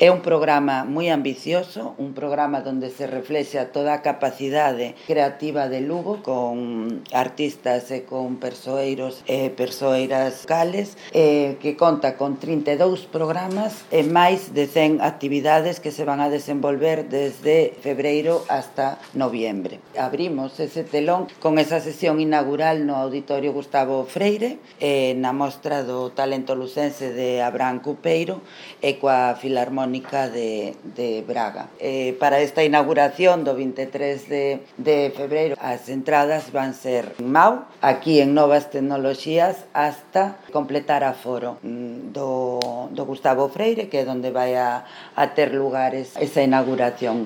É un programa moi ambicioso, un programa onde se reflexa toda a capacidade creativa de Lugo con artistas e con persoeiros e persoeiras locales, que conta con 32 programas e máis de 100 actividades que se van a desenvolver desde febreiro hasta noviembre. Abrimos ese telón con esa sesión inaugural no Auditorio Gustavo Freire, na mostra do talento lucense de Abraham Cupeiro e coa Filarmónica de Braga. Para esta inauguración do 23 de febreiro, as entradas van ser en Mau, aquí en Novas Tecnoloxías, hasta completar aforo do Gustavo Freire, que é onde vai a ter lugar esa inauguración.